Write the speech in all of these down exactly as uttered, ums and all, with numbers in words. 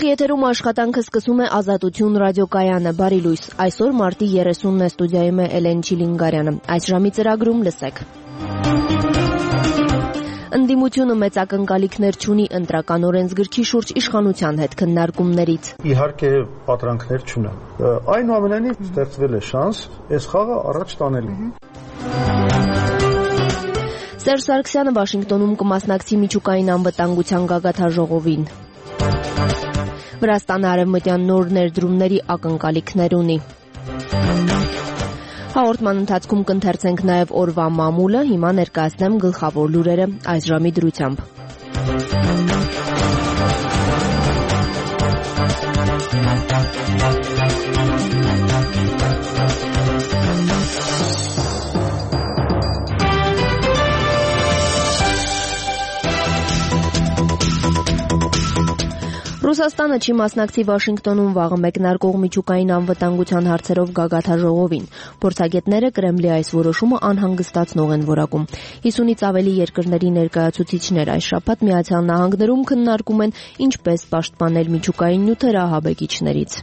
Ուղիղ եթերում աշխատանքը սկսում է Ազատություն ռադիոկայանը, բարի լույս, այսօր մարտի երեսունն է, ստուդիայում է Էլեն Չիլինգարյանը, այս ժամի ծրագրում լսեք. Ընդդիմությունը մեծ ակնկալիքներ չունի ընտրական օրենսգրքի շուրջ իշխանության հետ քննարկումներից. Իհարկե պատրանքներ չունեն, այնուամենայնիվ ստեղծվել է շանս այս խաղը առաջ տանելու։ Սերժ Սարգսյանը Վաշինգտոնում կմասնակցի միջուկային անվտանգության գագաթնաժողովին. Վրաստանը արևմտյան նոր ներդրումների ակնկալիքներ ունի։ Հաղորդման ընթացքում կընթերցենք նաև օրվա մամուլը, հիմա ներկայացնեմ գլխավոր լուրերը այս ժամի դրությամբ։ Ռուսաստանը չի մասնակցի Վաշինգտոնում վաղը մեկնարկող միջուկային անվտանգության հարցերով գագաթնաժողովին։ Փորձագետները Կրեմլի այս որոշումը անհանգստացնող են որակում։ հիսունից ավելի երկրների ներկայացուցիչներ այս շաբաթ Միացյալ Նահանգներում քննարկում են ինչպես պաշտպանել միջուկային նյութեր ահաբեկիչներից։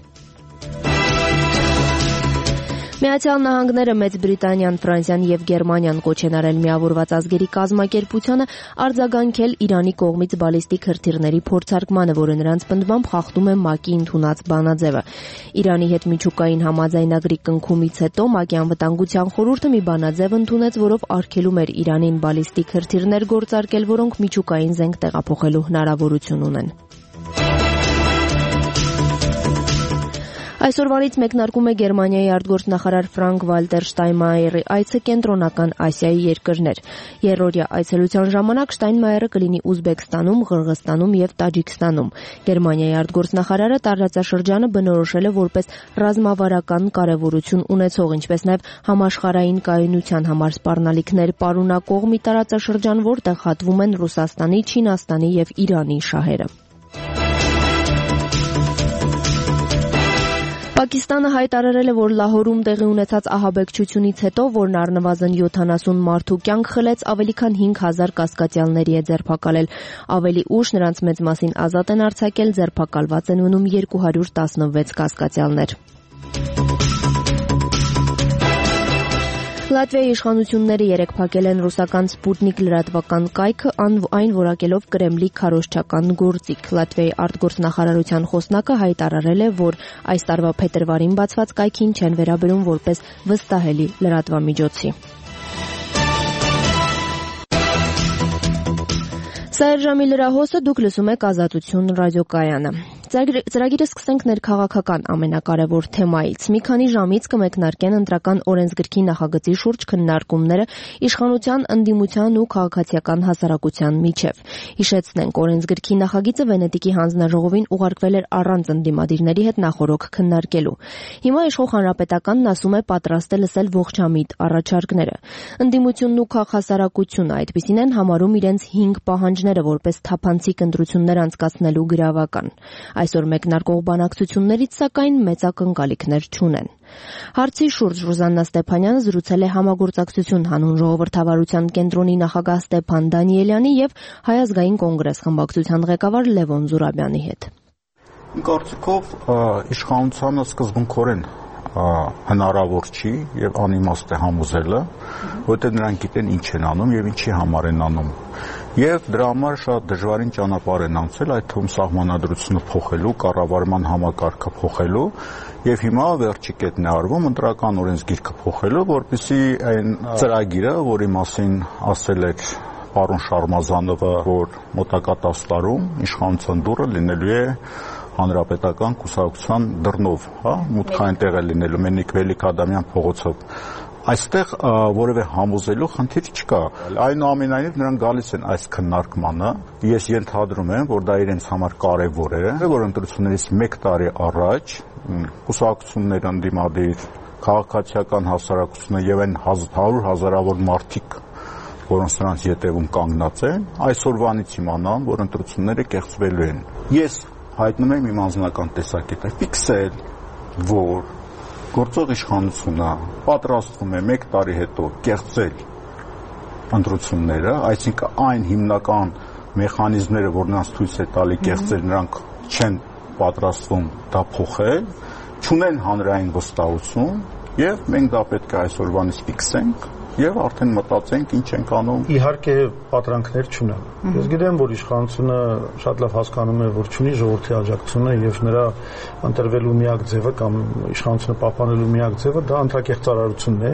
Միացյալ Նահանգները, Մեծ Բրիտանիան, Ֆրանսիան եւ Գերմանիան կոչ են արել միավորված ազգերի կազմակերպությանը արձագանքել Իրանի կողմից բալիստիկ հրթիռների փորձարկմանը, որը նրանց պնդմամբ խախտում է ՄԱԿ-ի ընդունած բանաձևը։ Իրանի հետ միջուկային համաձայնագրի կնքումից հետո ՄԱԿ-ի անվտանգության խորհուրդը մի բանաձև ընդունեց, որով արգելում էր Իրանին բալիստիկ հրթիռներ գործարկել, որոնք միջուկային զենք տեղափոխելու հնարավորություն ունեն։ Այսօրվանից մեկնարկում է Գերմանիայի արտգործնախարար Ֆրանկ Վալտեր Շտայնմայերի այցը Կենտրոնական Ասիայի երկրներ։ Երրորդյա այցելության ժամանակ Շտայնմայերը կլինի Ուզբեկստանում, Ղրղստանում եւ Տաջիկստանում։ Գերմանիայի արտգործնախարարը տարածաշրջանը բնորոշել է որպես ռազմավարական կարևորություն ունեցող, ինչպես նաեւ համաշխարհային կայունության համար սպառնալիքներ պարունակող մի տարածաշրջան, որտեղ հատվում են Ռուսաստանի, Չինաստանի եւ Իրանի շահերը։ Պակիստանը հայտարարել է, որ Լահորում տեղի ունեցած ահաբեկչությունից հետո, որն առնվազն յոթանասուն մարդու կյանք խլեց, ավելի քան հինգ հազար կասկածյալների է ձերբակալել։ Ավելի ուշ նրանց մեծ մասին ազատ են արձակել, ձերբակալված են մնում երկու հարյուր տասնվեց կասկածյալներ։ Լատվիայի իշխանությունները երեկ փակել են ռուսական Սպուտնիկ լրատվական կայքը, այն որակելով Կրեմլի քարոզչական գործիք։ Լատվիայի արտգործնախարարության խոսնակը հայտարարել է, որ այս տարվա փետրվարին բացված կայքին չեն վերաբերում որպես վստահելի լրատվամիջոցի։ Սա էր ժամի լրահոսը, դուք լսում եք Ազատություն ռադիոկայանը։ Ծրագիրը սկսենք ներքաղաքական ամենակարևոր թեմայից։ Մի քանի ժամից կմեկնարկեն ընտրական օրենսգրքի նախագծի շուրջ քննարկումները իշխանության, ընդդիմության ու քաղաքացիական հասարակության միջև։ Հիշեցնենք, օրենսգրքի նախագիծը Վենետիկի հանձնաժողովին ուղարկվել էր առանց ընդդիմադիրների հետ նախօրոք քննարկելու։ Հիմա իշխող Հանրապետականն ասում է պատրաստ է լսել ողջամիտ առաջարկները։ Ընդդիմությունն ու քաղաքասարակությունը այդպիսին են համարում իրենց հինգ պահանջները որպես թափանցիկ ընտրություններ անցկացնելու գրավական։ Այսօր մեկնարկող բանակցություններից, սակայն, մեծ ակնկալիքներ չունեն։ Հարցի շուրջ Ռուզաննա Ստեփանյանը զրուցել է Համագործակցություն հանուն ժողովրդավարության կենտրոնի նախագահ Ստեփան Դանիելյանի եւ Հայ ազգային կոնգրես խմբակցության ղեկավար Լևոն Զուրաբյանի հետ։ Կարծիքով իշխանությանը սկզբունքորեն հնարավոր չի եւ անիմաստ է համոզելը, որտեղ նրանք գիտեն ինչ են անում եւ ինչի համար են անում։ Եվ դրա համար շատ դժվարին ճանապարհ են անցել, այդ թվում սահմանադրությունը փոխելու, կառավարման համակարգը փոխելու եւ հիմա վերջի կետն է արվում ընտրական օրենսգիրքը փոխելու, որպեսզի այն ծրագիրը, որի մասին ասել էր պարոն Շարմազանովը, որ մոտակա տասը տարում իշխանության դուռը լինելու է հանրապետական կուսակցության դռնով, հա, մուտքային տեղ է լինելու Մենիկ Վելիք Ադամյան փողոցով։ Այստեղ որևէ համոզելու խնդիր չկա։ Այնուամենայնիվ նրանք գալիս են այս քննարկմանը։ Ես ենթադրում եմ, որ դա իրենց համար կարևոր է, որ ընտրություններից մեկ տարի առաջ կուսակցությունները ընդդիմադիր, քաղաքացիական հասարակությունը եւ այն հարյուր հազարավոր մարդիկ, որոնց նրանց ետևում կանգնած են, այսօրվանից իմանան, որ ընտրությունները կեղծվելու են։ Ես հայտնում եմ իմ անձնական տեսակետը, ֆիքսել, որ գործող իշխանությունը պատրաստվում է մեկ տարի հետո կեղծել ընտրությունները, այսինքն այն հիմնական մեխանիզմները, որ նրանց ցույց է տալի կեղծել, նրանք չեն պատրաստվում դա փոխել, չունեն հանրային վստահություն, եւ մենք դա պետք է այսօրվանից ֆիքսենք եւ արդեն մտածենք ինչ ենք անում։ Իհարկե պատրանքներ չունեմ։ Ես գիտեմ, որ իշխանությունը շատ լավ հասկանում է, որ չունի ժողովրդի աջակցությունը եւ նրա ընտրվելու միակ ձևը կամ իշխանությունը պահպանելու միակ ձևը դա անդրակեղծարարությունն է,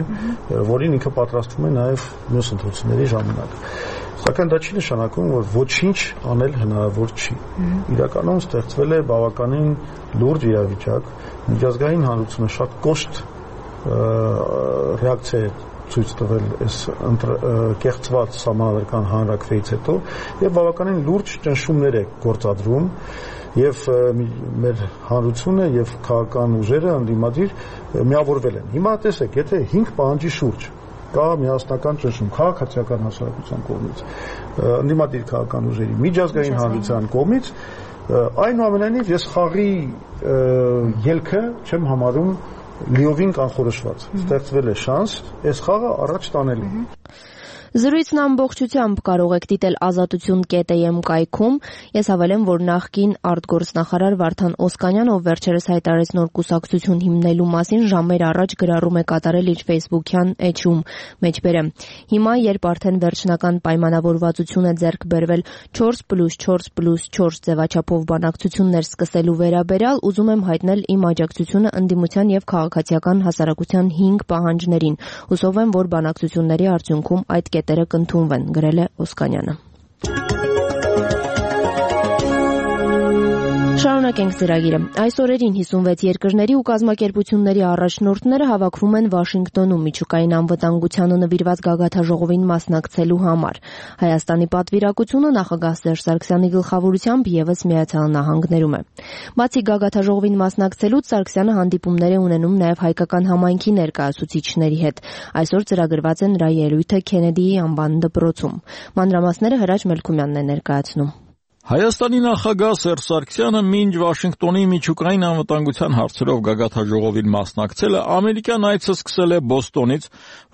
որին ինքը պատրաստվում է նաեւ մյուս ընտրությունների ժամանակ։ Սակայն դա չի նշանակում, որ ոչինչ անել հնարավոր չի։ Իրականում ստեղծվել է բավականին լուրջ իրավիճակ, միջազգային հանրությունը շատ կոշտ ռեակցիա է ցույց տվել այս կեղծված սահմանադրական հանրակրվեից հետո եւ բավականին լուրջ ճնշումներ է գործադրում եւ մեր հանրությունը եւ քաղաքական ուժերը ընդդիմադիր միավորվել են։ Հիմա տեսեք, եթե հինգ պահանջի շուրջ կա միասնական ճնշում քաղաքացիական հասարակության կողմից, ընդդիմադիր քաղաքական ուժերի, միջազգային հանրության կողմից, այնուամենայնիվ ես խաղի ելքը չեմ համարում լիովին կանխորոշված։ Ստեղծվել է շանս այս խաղը առաջ տանելու։ Զրույցն ամբողջությամբ կարող եք դիտել ազատություն կետ էմ կայքում։ Ես հավելեմ, որ նախկին արտգործնախարար Վարդան Օսկանյանը, ով վերջերս հայտարարեց նոր կուսակցություն հիմնելու մասին, ժամեր առաջ գրառում է կատարել իր Facebook-յան էջում, մեջբերեմ։ Հիմա, երբ արդեն վերջնական պայմանավորվածություն է ձեռք բերվել չորս պլյուս չորս պլյուս չորս ձևաչափով բանակցություններ սկսելու վերաբերյալ, ուզում եմ հայտնել իմ աջակցությունը ընդդիմության եւ քաղաքացիական հասարակության հինգ պահանջներին։ Հուսով եմ, որ բանակցությունների արդյունքում այդ կետերը կընդունվեն, գրել է Օսկանյանը։ Շարունակենք ծրագիրը։ Այս օրերին հիսունվեց երկրների ու կազմակերպությունների առաջնորդները հավաքվում են Վաշինգտոնում միջուկային անվտանգությանը նվիրված գագաթաժողովին մասնակցելու համար։ Հայաստանի պատվիրակությունը նախագահ Սերժ Սարգսյանի գլխավորությամբ ևս Միացյալ Նահանգներում է։ Բացի գագաթաժողովին մասնակցելուց Սարգսյանը հանդիպումներ է ունենում նաև հայկական համայնքի ներկայացուցիչների հետ։ Այսօր ծրագրված է նրա ելույթը Քենեդիի անվան դպրոցում։ Մանրամասները Հրաչ Մելքումյանն է ներկայացնում։ Հայաստանի նախագահ Սերժ Սարգսյանը մինչ Վաշինգտոնի միջուկային անվտանգության հարցերով գագաթաժողովին մասնակցել է, ամերիկյան այցը սկսել է Բոստոնից,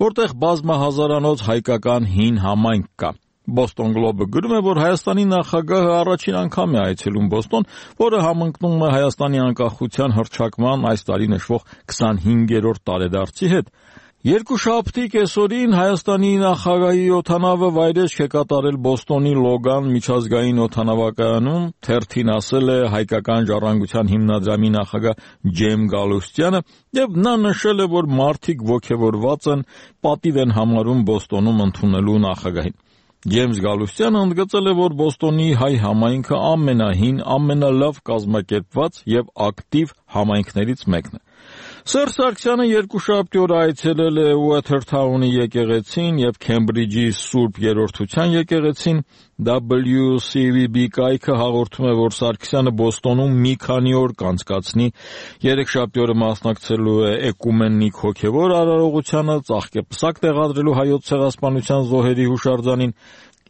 որտեղ բազմահազարանոց հայկական հին համայնք կա։ Boston Globe-ը գրում է, որ Հայաստանի նախագահը առաջին անգամ է այցելում Բոստոն, որը համընկնում է Հայաստանի անկախության հռչակման այս տարի նշվող քսանհինգերորդ տարեդարձի հետ։ Երկուշաբթի կեսօրին Հայաստանի նախագահի օդանավը վայրեջք է կատարել Բոստոնի Լոգան միջազգային օդանավակայանում, թերթին ասել է հայկական ժառանգության հիմնադրամի նախագահ Ջեյմ Գալուստյանը, եւ նա նշել է, որ մարդիկ ոգևորված են, պատիվ են համարում Բոստոնում ընդունելու նախագահին։ Ջեյմս Գալուստյանը ընդգծել է, որ Բոստոնի հայ համայնքը ամենահին, ամենալավ կազմակերպված եւ ակտիվ համայնքներից մեկն է։ Սերժ Սարգսյանը երկուշաբթի օրը այցելել է Ուոթերթաունի եկեղեցին եւ Քեմբրիջի Սուրբ Երրորդության եկեղեցին։ W C V B կայքը հաղորդում է, որ Սարգսյանը Բոստոնում մի քանի օր կանցկացնի, երեքշաբթի օրը մասնակցելու է էկումենիկ հոգևոր արարողությանը, ծաղկեպսակ տեղադրելու հայոց ցեղասպանության զոհերի հուշարձանին,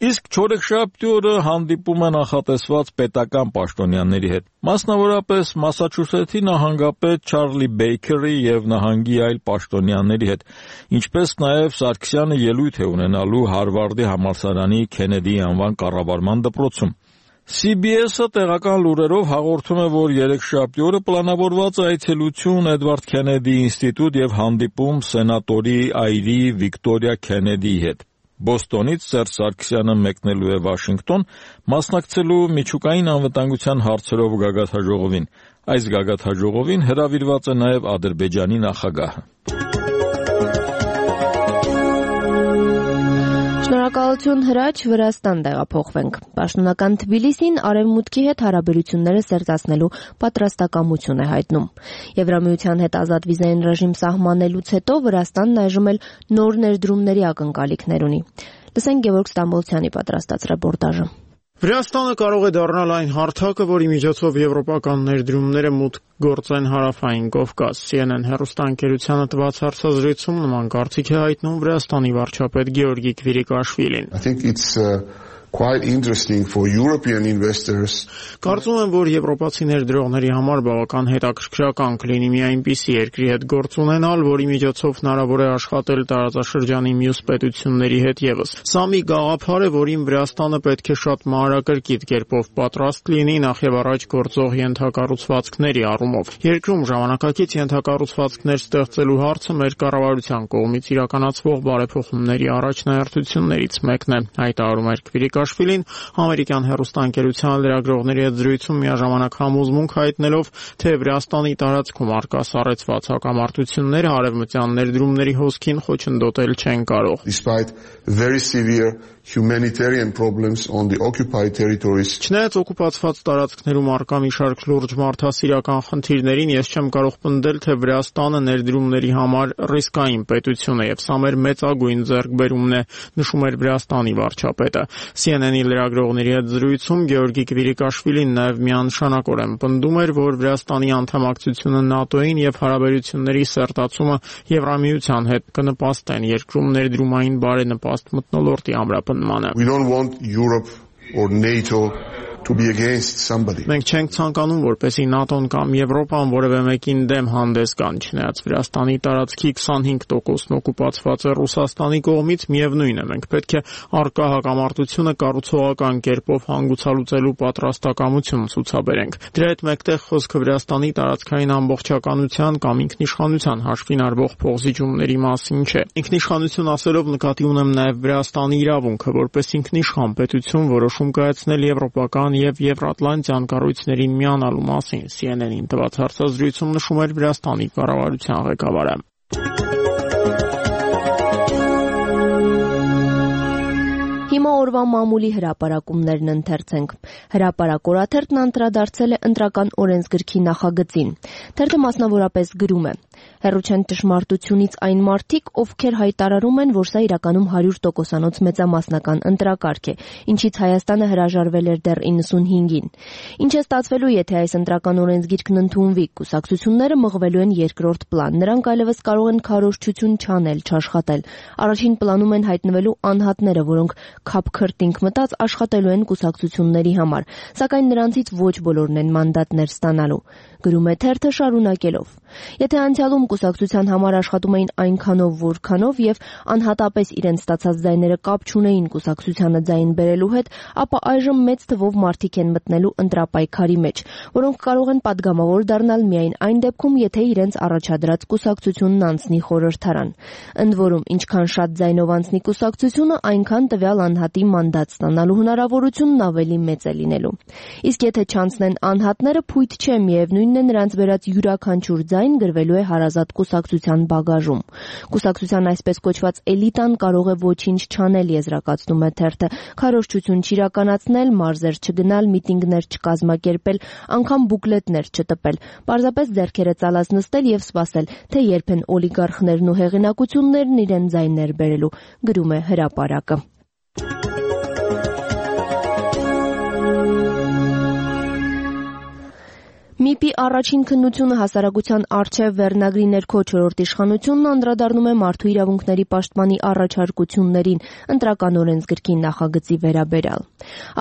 իսկ չորեքշաբթի օրը հանդիպում է նախատեսված պետական պաշտոնյաների հետ, մասնավորապես Մասաչուսեթի նահանգապետ Չարլի Բեյքերի եւ նահանգի այլ պաշտոնյաների հետ, ինչպես նաեւ Սարգսյանը ելույթ է ունենալու Հարվարդի համալսարանի Քենեդիի անվան կառավարման դպրոցում։ C B S-ը տեղական լուրերով հաղորդում է, որ երեքշաբթի օրը պլանավորված է այցելություն Էդվարդ Քենեդի ինստիտուտ եւ հանդիպում սենատորի այրի Վիկտորիա Քենեդիի հետ։ Բոստոնից Սերժ Սարգսյանը մեկնելու է Վաշինգտոն, մասնակցելու միջուկային անվտանգության հարցերով գագաթաժողովին։ Այս գագաթաժողովին հրավիրված է նաև Ադրբեջանի նախագահը։ Շնորհակալություն Հրաչ, Վրաստան տեղափոխվենք։ Պաշտոնական Թբիլիսին արևմուտքի հետ հարաբերությունները սերտացնելու պատրաստակամություն է հայտնում։ Եվրամիության հետ ազատ վիզային ռեժիմ սահմանելուց հետո Վրաստանն այժմ էլ նոր ներդրումների ակնկալիքներ ունի։ Լսենք Գևորգ Ստամբոլցյանի պատրաստած ռեպորտաժը։ Վրաստանը կարող է դառնալ այն հարթակը, որի միջոցով եվրոպական ներդրումները մուտք գործեն հարավային Կովկաս։ C N N հեռուստաընկերությանը տված հարցազրույցում նման կարծիք է հայտնում Վրաստանի վարչապետ Գեորգի Քվիրիկաշվիլին։ I think it's uh, quite interesting for European investors. Կարծում եմ, որ եվրոպացի ներդրողների համար բավական հետաքրքրական կլինի մի այնպիսի երկրի հետ գործ ունենալ, որի միջոցով հնարավոր է աշխատել տարածաշրջանի մյուս պետությունների հետ եւս։ Սա մի գաղափար է, որին Վրաստանը պետք է շատ մանրակրկիտ կերպով պատրաստ լինի նախ եւ առաջ գործող ենթակառուցվածքների առումով։ Երկրում ժամանակակից ենթակառուցվածքներ ստեղծելու հարցը մեր կառավարության կողմից իրականացվող բարեփոխումների առաջնահերթություններից մեկն է, հայտարարում է Քվիրիկաշվիլին ամերիկյան հեռուստաընկերության լրագրողների հետ զրույցում միաժամանակ համոզմունք հայտնելով, թե Վրաստանի տարածքում արկա սառեցված հակամարտությունները արևմտյան ներդրումների հոսքին խոչընդոտել չեն կարող։ Despite very severe humanitarian problems on the occupied territories. Չնայած օկուպացված տարածքներում արկա մի շարք լուրջ մարդասիրական խնդիրներին, ես չեմ կարող պնդել, թե Վրաստանը ներդրումների համար ռիսկային պետություն է եւ սա մեր մեծագույն ձեռքբերումն է, նշում էր Վրաստանի վարչապետը։ C N N-ի լրագրողների հետ զրույցում Գեորգի Քվիրիկաշվիլին նաեւ միանշանակորեն պնդում էր, որ Վրաստանի անդամակցությունը ՆԱՏՕ-ին եւ հարաբերությունների սերտացումը Եվրամիության հետ կնպաստեն երկրում ներդրումային բարենպաստ մթնոլորտի ամրապնդմանը։ We don't want Europe or NATO to be against somebody. Մենք չենք ցանկանում, որպեսզի ՆԱՏՕ-ն կամ Եվրոպան որևէ մեկին դեմ հանդես գան, չնայած Վրաստանի տարածքի քսանհինգ տոկոսն օկուպացված է Ռուսաստանի կողմից, միևնույն է, մենք պետք է առկա հակամարտությունը կառուցողական կերպով հանգուցալուծելու պատրաստակամություն ցուցաբերենք։ Դրա հետ մեկտեղ խոսքը Վրաստանի տարածքային ամբողջականության կամ ինքնիշխանության հաշվին արվող փոխզիջումների մասին չէ։ Ինքնիշխանություն ասելով նկատի ունեմ նաև Վրաստանի իրավունքը, որպես ինքնիշխան պետություն որոշում կայացնել եվրոպական եւ Եվրատլանտյան կառույցներին միանալու մասին C N N-ին տված հարցազրույցում նշում էր Վրաստանի կառավարության ղեկավարը։ Հիմա օրվա մամուլի հրապարակումներն ընթերցենք։ Հրապարակ օրաթերթն անդրադարձել է ընտրական օրենսգրքի նախագծին։ Թերթը մասնավորապես գրում է. Հեռու չեն ճշմարտությունից այն մարդիկ, ովքեր հայտարարում են, որ սա իրականում հարյուր տոկոսանոց մեծամասնական ընտրակարգ է, ինչից Հայաստանը հրաժարվել էր դեռ իննսունհինգին։ Ինչ է ստացվելու, եթե այս ընտրական օրենսգիրքն ընդունվի, կուսակցությունները մղվելու են երկրորդ պլան։ Նրանք այլևս կարող են քարոզչություն չանել, չաշխատել։ Առաջին պլանում են հայտնվելու անհատները, որոնք քափքրտինք մտած աշխատելու են կուսակցությունների համար, սակայն նրանցից ոչ բոլորն են մանդատներ ստանալու։ Գրում է թերթը շարունակելով. Եթե անցյալում կուսակցության համար աշխատում էին այնքանով, որքանով եւ անհատապես իրենց ստացած ձայները կապ չունեին կուսակցությանը ձայն բերելու հետ, ապա այժմ մեծ թվով մարդիկ են մտնելու ընտրապայքարի մեջ, որոնք կարող են падգամավոր դառնալ միայն այն դեպքում, եթե իրենց առաջադրած կուսակցությունն անցնի խորհրդարան։ Ընդ որում, ինչքան շատ ձայնով անցնի կուսակցությունը, այնքան տվյալ անհատի մանդատ ստանալու հնարավորությունն ավելի մեծ է լինելու։ Իսկ եթե չանցնեն անհատները, փույթ չէ, միևնույնն է նրանց վերած յուրաքանչյուր ձայն գրվելու է հարազատ կուսակցության բագաժում։ Կուսակցության այսպես կոչված էլիտան կարող է ոչինչ չանել, եզրակացնում է թերթը, քարոզչություն չիրականացնել, մարզեր չգնալ, միտինգներ չկազմակերպել, անգամ բուկլետներ չտպել, պարզապես ձեռքերը ծալած նստել եւ սպասել, թե երբ են օլիգարխներն ու հեղինակություններն իրեն ձայներ բերելու, գրում է հրապարակը։ ՄԻՊ-ի առաջին քննությունը հասարակության առջև վերնագրի ներքո չորրորդ իշխանությունն անդրադառնում է մարդու իրավունքների պաշտպանի առաջարկություններին ընտրական օրենսգրքի նախագծի վերաբերյալ։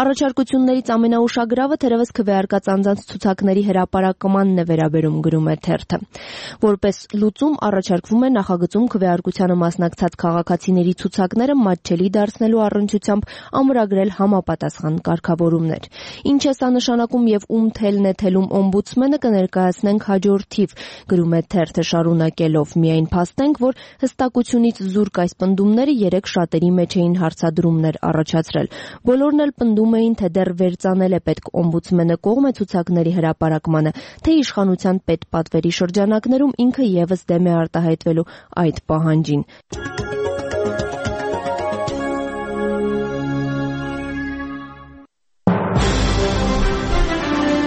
Առաջարկություններից ամենաուշագրավը թերևս քվեարկած անձանց ցուցակների հրապարակմանն է վերաբերում, գրում է թերթը։ Որպես լուծում առաջարկվում է նախագծում քվեարկությանը մասնակցած քաղաքացիների ցուցակները մատչելի դարձնելու առնչությամբ ամրագրել համապատասխան կարգավորումներ։ Ինչ է սա նշանակում եւ ում թելն է թելում օմբուդսմենը կներկայացնենք հաջորդ թիվ, գրում է թերթը շարունակելով, միայն փաստենք, որ հստակությունից զուրկ այս պնդումները երեք շատերի մեջ էին հարցադրումներ առաջացրել։ Բոլորն էլ պնդում էին, թե դեռ վերծանել է պետք օմբուդսմենը կողմ է ցուցակների հրապարակմանը, թե իշխանության պետպատվերի շրջանակներում ինքը եւս դեմ է արտահայտվելու այդ պահանջին։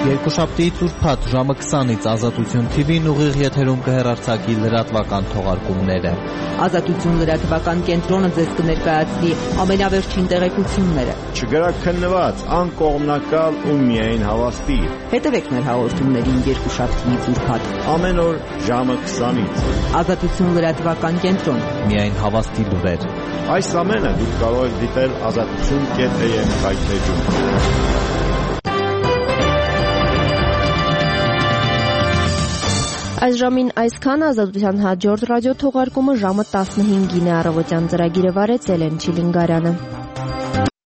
Երբ Երկուշաբթիից ուրբաթ ժամը քսանից Ազատություն թի վին ուղիղ եթերում կհեռարձակի լրատվական թողարկումները։ Ազատություն լրատվական կենտրոնը ձեզ կներկայացնի ամենավերջին տեղեկությունները։ Չգրաքննված, անկողմնակալ ու միայն հավաստի։ Հետևեք մեր հաղորդումներին երկուշաբթիից ուրբաթ ամեն օր ժամը քսանից։ Ազատություն լրատվական կենտրոն։ Միայն հավաստի լուրեր։ Այս ամենը դուք կարող եք դիտել ազատություն կետ է եմ հայտնեջում։ Այս ժամին այսքան Ազատության հաջորդ ռադիո թողարկումը ժամը տասնհինգին է առավոտյան ծրագիրը վարեց Էլեն Չիլինգարյանը։